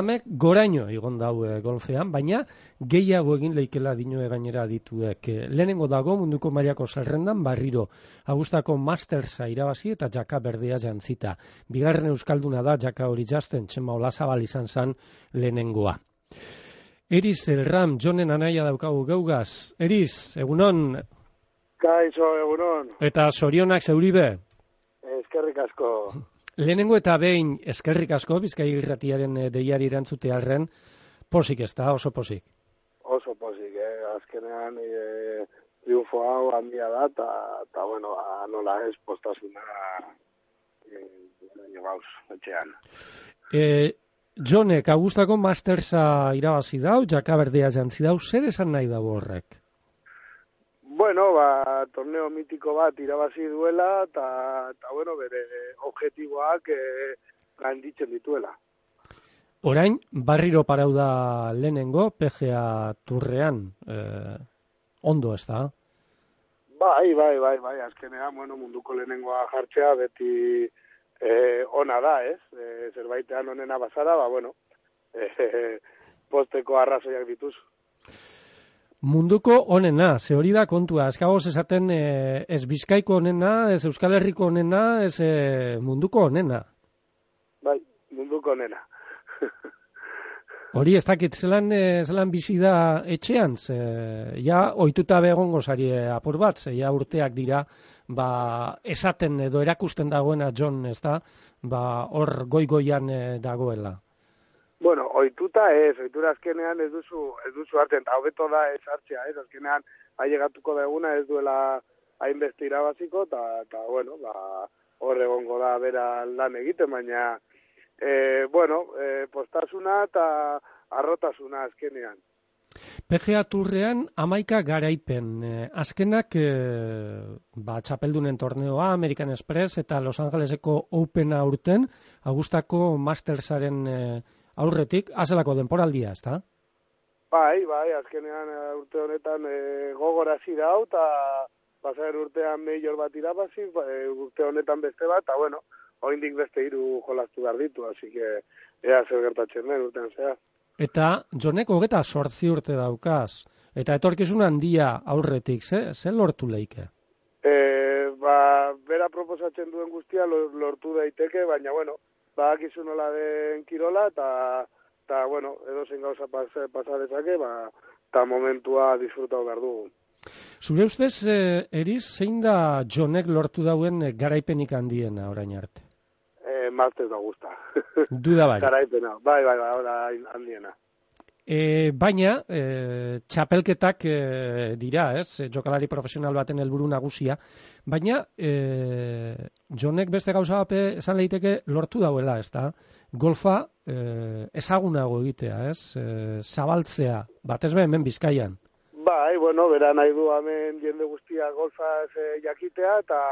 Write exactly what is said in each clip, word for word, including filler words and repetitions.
Ramek goraino egon dau e, golfean, baina gehiago egin leikela dinoe gainera dituek. E, lehenengo dago munduko mailako zerrendan barriro Agustako Mastersa irabazi eta jaka berdea jantzita. Bigarren euskalduna da jaka hori jazten, Txema Olazabal izan zan lehenengoa. Eriz Elram, Jonen anaia daukagu geugaz. Eriz, egunon? Kaixo, egunon. Eta zorionak zeuribe? Eskerrik asko. Lehenengo eta behin eskerrik asko, Bizkai Irratiaren deiari erantzutearren, posik ez da, oso posik. Oso posik, eh? Azkenean e, triunfo hau handia da, eta, bueno, nola ez postasuna e, gauz, etxean. E, Jonek, Agustako Mastersa irabazi dau, jaka berdea jantzi dau, zer esan nahi dago horrek? Bueno, ba, torneo mitiko bat irabazi duela, eta, bueno, bere objektiboak e, gainditzen dituela. Orain, barriro parau da lehenengo, P G A Turrean, eh, ondo ez da? Bai, bai, bai, bai, azkenean, bueno, munduko lehenengoa jartzea beti e, ona da, ez? E, zerbaitean onena bazara, ba, bueno, e, posteko arrazoiak dituzu. Munduko onena, ze hori da kontua, eskagoz esaten e, ez Bizkaiko onena, ez Euskal Herriko onena, ez e, munduko onena. Bai, munduko onena. Hori ez dakit, zelan, e, zelan bizi da etxean, ze, ja oituta begongo zari apur bat, ze ja urteak dira, ba, esaten edo erakusten dagoena John, ez da, ba, hor goi-goian e, dagoela. Bueno, ohituta ez, ohitura azkenean ez duzu, ez duzu hartzen, eta hobeto da ez hartzea, ez, azkenean ailegatuko da eguna ez duela hainbeste irabaziko, eta, bueno, ba, hor egongo da bera lan egiten, baina, e, bueno, e, postasuna eta arrotasuna azkenean. P G A Turrean hamaika garaipen, e, azkenak e, ba, txapeldunen torneoa, American Express eta Los Angeleseko Opena urten, Agustako Mastersaren e, aurretik, azelako denporaldia, ez da? Bai, bai, azkenean urte honetan e, gogorazi dau, eta pasaren urtean meior bat irabazi, e, urte honetan beste bat, eta bueno, oraindik beste hiru jolastu behar ditu, así que ea zer gertatzen den urtean zehar. Eta Jonek hogeta sortzi urte daukaz, eta etorkizun handia aurretik, ze, ze lortu leike? E, ba, bera proposatzen duen guztia lortu daiteke, baina bueno, badakizu nola den kirola, eta, eta bueno, edo zein gauza pas, pasadezake, ba, eta momentua disfrutau behar dugu. Zure ustez, eh, Eriz, zein da Jonek lortu dauen garaipenik handiena orain arte? Eh, Masters da gusta. Duda bai. Garaipena, bai, bai, bai, bai, handiena. E, baina, e, txapelketak e, dira, ez, jokalari profesional baten helburu nagusia, baina e, Jonek beste gauza bape esan leiteke lortu dauela, ez da, golfa e, ezagunago egitea, ez, e, zabaltzea, batez be hemen Bizkaian. Bai, bueno, bera nahi du hemen jende guztia golfa e, jakitea, eta,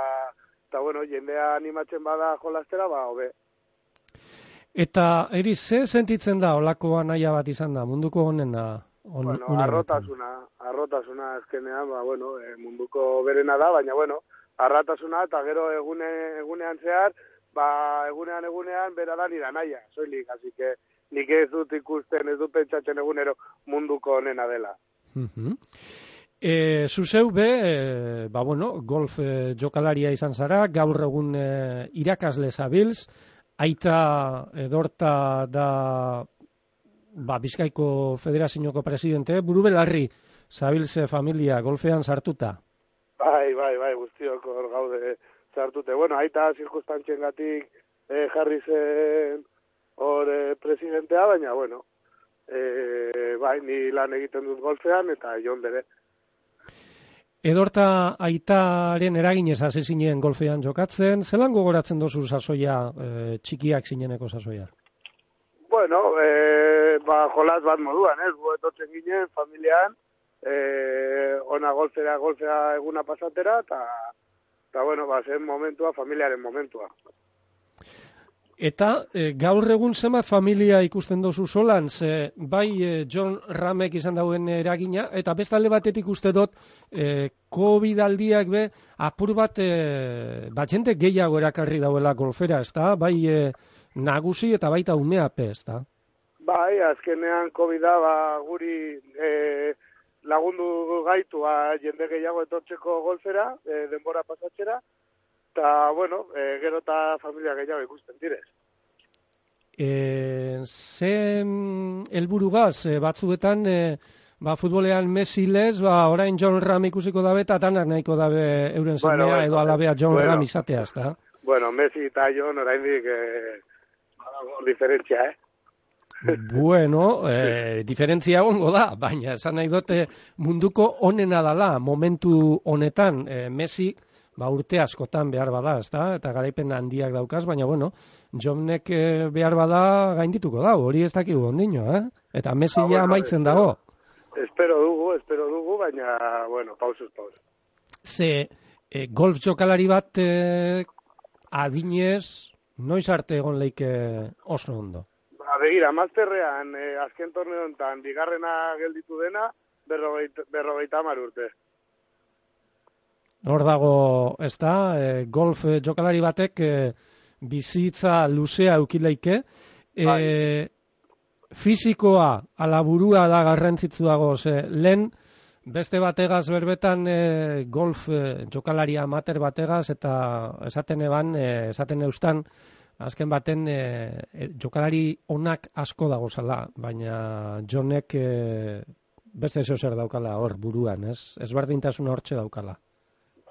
eta bueno, jendea animatzen bada jolastera, ba, hobe. Eta, Eriz, ze sentitzen da olakoa naia bat izan da, munduko honena? On, bueno, arrotasuna, arrotasuna azkenean, ba, bueno, e, munduko berena da, baina, bueno, arratasuna eta gero egune, egunean zehar, ba, egunean egunean bera da nira naia, soilik, así que nik ez dut ikusten, ez dut pentsatzen egunero munduko honena dela. Uh-huh. E, zuzeu be, e, ba, bueno, golf e, jokalaria izan zara, gaur egun e, irakasle zabilz, Aita Edorta da ba, Bizkaiko Federazioko presidente, buru belarri zabilze familia golfean sartuta. Bai, bai, bai, guztiok hor gaude sartute. Bueno, aita zirkustantzien gatik eh, jarri zen hor eh, presidentea, baina, bueno, eh, bai, ni lan egiten dut golfean eta jon bere. Edorta aitaren eraginez hasi zinen golfean jokatzen, zelan gogoratzen dozu sasoia, e, txikiak zineneko sasoia? Bueno, e, ba, jolas bat moduan, ez, gu etotzen ginen, familian, e, ona golfera, golfea eguna pasatera, eta, eta bueno, ba, zen momentua, familiaren momentua. Eta e, gaur egun zenbat familia ikusten dozu solan, ze bai e, John Ramek izan dauen eragina, eta bestalde batetik uste dut e, COVID aldiak be, apur bat e, batxente gehiago erakarri dauela golfera, ez da? Bai e, nagusi eta baita umeape, ez da? Bai, azkenean COVID-a ba, guri e, lagundu gaitu ba, jende gehiago etortzeko golfera, e, denbora pasatzera, eta, bueno, e, gero eta familia gehiago ikusten direz. E, ze helburugaz, e, batzuetan, e, ba, futbolean Messi lez, ba, orain John Ram ikusiko dabe, eta tanak nahiko dabe euren Bueno, semea, bueno, edo alabea John bueno. Ram izatea, ezta? Bueno, Messi eta John oraindik eh, badago diferentzia, eh? Bueno, eh, diferentzia egongo da, baina esan nahi dute munduko onena dala, momentu honetan, eh, Messi, ba, urte askotan behar bada, ezta? Eta garaipen handiak daukaz, baina, bueno, Johnek eh, behar bada gaindituko da, hori ez dakigu ondino, eh? Eta Messi Ah, ja bueno, amaitzen espero, dago. Espero dugu, espero dugu, baina, bueno, pausuz, pausuz. Ze, eh, golf jokalari bat eh, adinez, noiz arte egon leike oso ondo? Ba, begira, Masterrean, eh, azken torneo honetan, bigarrena gelditu dena, berrogeita, berrogeita hamar urte. Hor dago, ez da, e, golf e, jokalari batek e, bizitza luzea eukileike. E, Bai. Fisikoa, ala burua da garrantzitsu dago, ze lehen beste bategaz berbetan e, golf e, jokalari amater bategaz, eta esaten eban, e, esaten eustan, azken baten e, e, jokalari onak asko dago zala, baina Johnek e, beste zeo zer daukala hor buruan, ez? Ezberdintasuna hortxe daukala.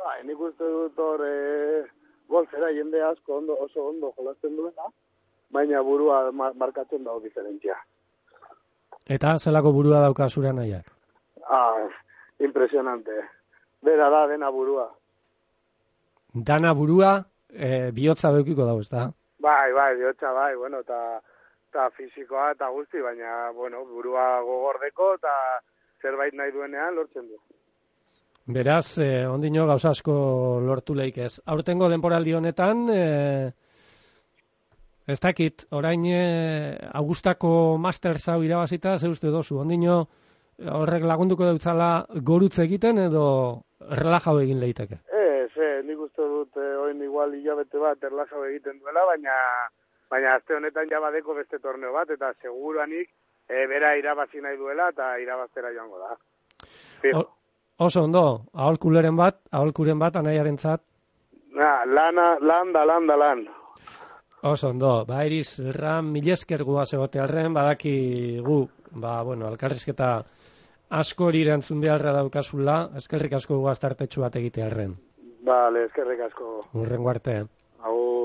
Bai, nik uste dut hor e, golfera jende asko ondo, oso ondo jolasten duena, baina burua mar markatzen dago diferentzia. Eta zelako burua dauka zure nahiak? Ah, impresionante. Bera da dena burua. Dana burua, e, bihotza beukiko dago, ez da? Bai, bai, bihotza bai, bueno, eta ta fisikoa eta guzti, baina, bueno, burua gogordeko eta zerbait nahi duenean lortzen du. Beraz, eh, ondino gauza asko lortu leik ez. Aurtengo denporaldi honetan, eh, ez dakit, orain eh, Augustako Masters hau irabazita, ze uste dozu, ondino horrek lagunduko dautzala gorutze egiten edo relajau egin leiteke? Ez, eh, nik uste dut eh, oin igual hilabete bat erlajau egiten duela, baina baina aste honetan ja badeko beste torneo bat, eta seguruanik eh, bera irabazi nahi duela eta irabaztera joango da. Fijo. Oso ondo, aholkuleren bat, aholkuren bat anaiarentzat. Na, lana, lan da, lan da, lan. Oso ondo, ba, Iriz, Ram, milesker guaz egote arren, badaki gu, ba, bueno, alkarrizketa asko hori erantzun beharra daukazula, eskerrik asko guaz tartetxu bat egite arren. Vale, eskerrik asko. Urrengo arte. Agur.